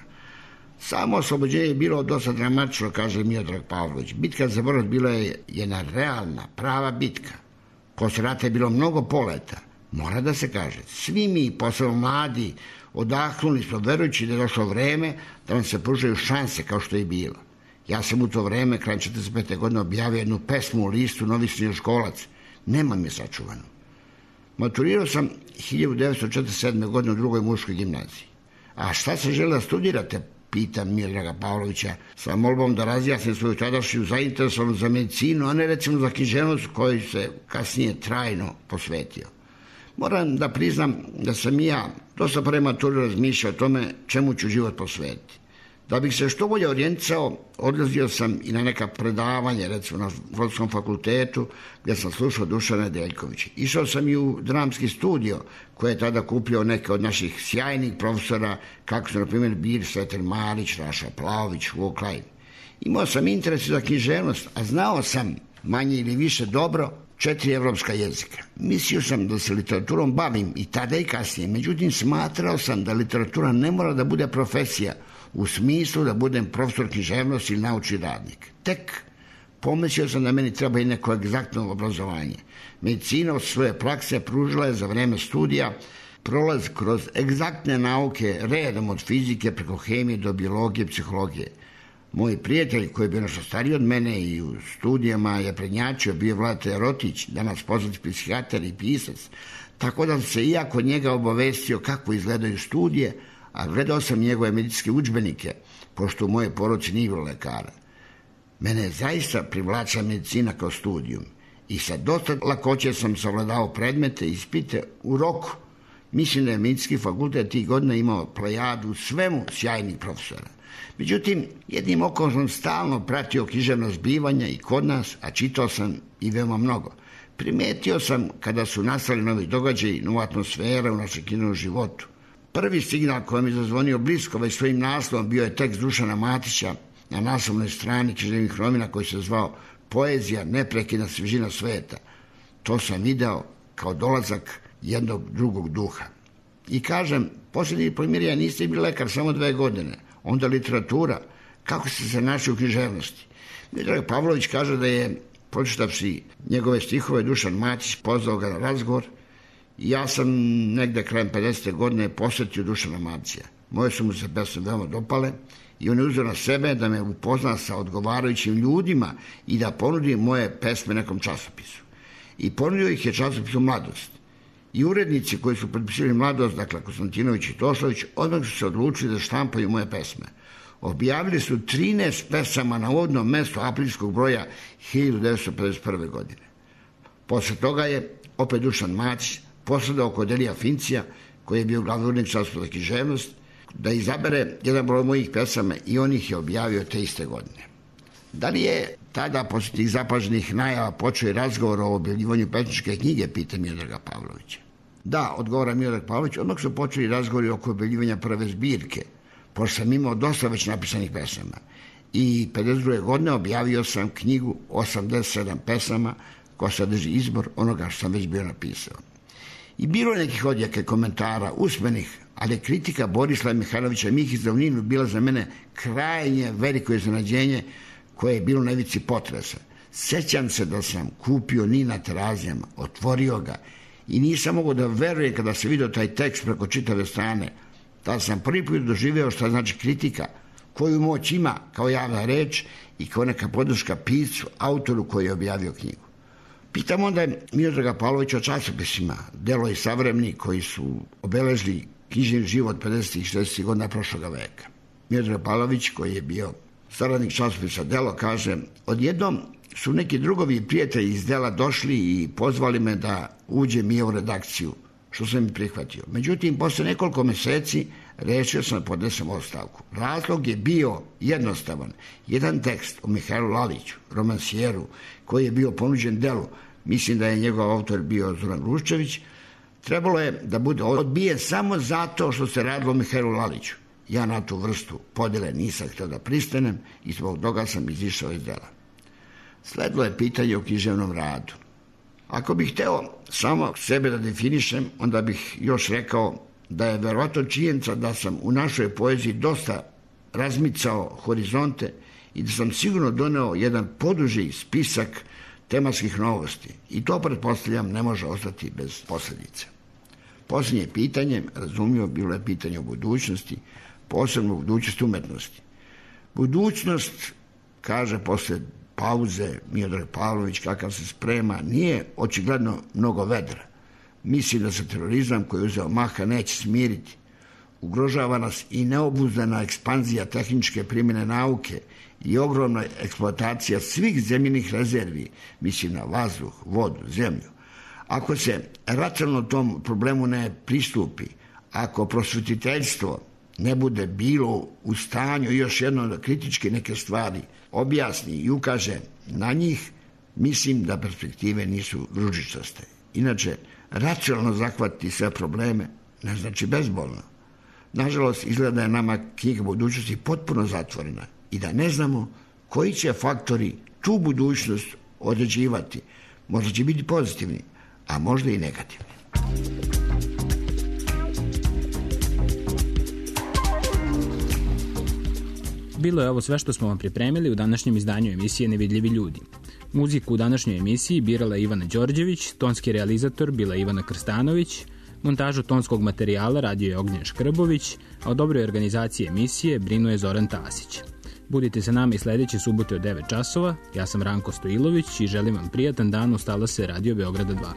I: Samo oslobođenje je bilo dosta dramatično, kaže Miodrag Pavlović. Bitka za Brod bila je jedna realna, prava bitka. Posle rata je bilo mnogo poleta. Mora da se kaže, svi mi, posebno mladi, odahnuli smo verujući da je došlo vreme da nam se pružaju šanse kao što je bilo. Ja sam u to vreme, krajem 45. godine, objavio jednu pesmu u listu Novi srednjoškolac. Nemam je sačuvanu. Maturirao sam 1947. godine u 2. muškoj gimnaziji. A šta se želi da studirate? Pitam Miodraga Pavlovića sa molbom da razjasnim svoju tadašnju zainteresovanu za medicinu, a ne recimo za književnost koju se kasnije trajno posvetio. Moram da priznam da sam i ja dosta pre mature razmišljao o tome čemu ću život posvetiti. Da bih se što bolje orijentisao, odlazio sam i na neka predavanja, recimo na Filozofskom fakultetu, gdje sam slušao Dušana Nedeljkovića. Išao sam i u dramski studio, koji je tada kupio neke od naših sjajnih profesora, kako su, na primjer, Bir Svetel Marić, Raša Plavović, Vuk Lajn. Imao sam interes za književnost, a znao sam, manje ili više dobro, 4 evropska jezika. Mislio sam da se literaturom bavim i tada i kasnije, međutim smatrao sam da literatura ne mora da bude profesija, u smislu da budem profesor književnosti ili naučni radnik. Tek pomislio sam da meni treba i neko egzaktno obrazovanje. Medicina od svoje prakse pružila je za vreme studija prolaz kroz egzaktne nauke redom od fizike preko hemije do biologije, psihologije. Moj prijatelj koji je bio nešto stariji od mene i u studijama je prednjačio, bio Vladeta Rotić, danas poznati psihijatar i pisac, tako da se i ja kod njega obavestio kako izgledaju studije, a gledao sam njegove medicinske udžbenike, pošto u moje porodici nije bilo lekara. Mene je zaista privlačila medicina kao studijum i sa dosta lakoće sam savladao predmete i ispite u roku. Mislim da je medicinski fakultet tih godina imao plejadu svemu sjajnih profesora. Međutim, jednim okom sam stalno pratio književno zbivanja i kod nas, a čitao sam i veoma mnogo. Primetio sam kada su nastali novi događaji, nova atmosfera u našem književnom životu. Prvi signal koji mi zazvonio blisko već svojim naslovom bio je tekst Dušana Matića na naslovnoj strani književnih novina koji se zvao Poezija, neprekidna svježina sveta. To sam video kao dolazak jednog drugog duha. I kažem, posljednji diplomiranja ja niste bili lekar samo 2 godine, onda literatura, kako ste se našli u književnosti. Miodrag Pavlović kaže da je, pročitavši njegove stihove, Dušan Matić pozvao ga na razgovor. Ja sam negde krajem 50. godine posjetio Dušana Matića. Moje su mu se pesme veoma dopale i on je uzeo na sebe da me upozna sa odgovarajućim ljudima i da ponudi moje pesme nekom časopisu. I ponudio ih je časopisu Mladost. I urednici koji su potpisali Mladost, dakle Konstantinović i Tošović, odmah su se odlučili da štampaju moje pesme. Objavili su 13 pesama na uvodnom mestu aprilskog broja 1951. godine. Posle toga je opet Dušan Matić posredao kod Elija Fincija, koji je bio glavni urednik časopisa za književnost, da izabere jedan broj mojih pesama i on ih je objavio te iste godine. Da li je tada, posle tih zapaženih najava, počeo i razgovor o objavljivanju pesničke knjige, pita Miodraga Pavlovića. Da, odgovara Miodrag Pavlović, odmah su počeli razgovori oko objavljivanja prve zbirke, pošto sam imao dosta već napisanih pesama. I 52. godine objavio sam knjigu 87 pesama koja sadrži izbor onoga što sam već bio napisao. I bilo je nekih odjeka komentara, usmenih, ali kritika Borislava Mihajlovića Mihić za Uninu bila za mene krajnje veliko iznenađenje koje je bilo na ivici potresa. Sećam se da sam kupio Nin na Terazijama, otvorio ga i nisam mogao da verujem kada se vidio taj tekst preko čitave strane. Tada sam prvi put doživeo šta znači kritika, koju moć ima kao javna reč i kao neka podrška piscu, autoru koji je objavio knjigu. Pitam onda Miodraga Pavlovića o časopisima, Delo i Savremnik, koji su obeležili knjižni život 50. i 60. godina prošloga veka. Miodrag Pavlović, koji je bio saradnik časopisa Delo, kaže: odjednom su neki drugovi i prijatelji iz Dela došli i pozvali me da uđem i u redakciju, što sam i prihvatio. Međutim, posle nekoliko meseci rešio sam da podnesem ostavku. Razlog je bio jednostavan. Jedan tekst o Mihajlu Laliću, romansijeru, koji je bio ponuđen Delu, mislim da je njegov autor bio Zoran Ruščević, trebalo je da bude odbijen samo zato što se radilo o Mihajlu Laliću. Ja na tu vrstu podjele nisam htio da pristanem i zbog toga sam izišao iz Dela. Sledilo je pitanje o književnom radu. Ako bih hteo samo sebe da definišem, onda bih još rekao da je verovatno činjenica da sam u našoj poeziji dosta razmicao horizonte i da sam sigurno doneo jedan poduži spisak tematskih novosti. I to, pretpostavljam, ne može ostati bez posljedice. Posljednje pitanje, razumljivo, bilo je pitanje o budućnosti, posebno budućnosti umetnosti. Budućnost, kaže posle pauze Miodrag Pavlović, kakav se sprema, nije očigledno mnogo vedra. Mislim da se terorizam koji je uzeo maha neće smiriti. Ugrožava nas i neobuzdana ekspanzija tehničke primjene nauke i ogromna eksploatacija svih zemljinih rezervi, mislim na vazduh, vodu, zemlju. Ako se racionalno tom problemu ne pristupi, ako prosvetiteljstvo ne bude bilo u stanju još jedno da kritički neke stvari objasni i ukaže na njih, mislim da perspektive nisu ružičaste. Inače, racionalno zahvatiti sve probleme ne znači bezbolno. Nažalost, izgleda da je nama knjiga budućnosti potpuno zatvorena i da ne znamo koji će faktori tu budućnost određivati. Možda će biti pozitivni, a možda i negativni.
E: Bilo je ovo sve što smo vam pripremili u današnjem izdanju emisije Nevidljivi ljudi. Muziku u današnjoj emisiji birala je Ivana Đorđević, tonski realizator bila je Ivana Krstanović, montažu tonskog materijala radio je Ognjen Škrbović, a o dobroj organizaciji emisije brinuo je Zoran Tasić. Budite sa nama i sledeće subote od 9 časova. Ja sam Ranko Stojilović i želim vam prijatan dan. Ostala se Radio Beograda 2.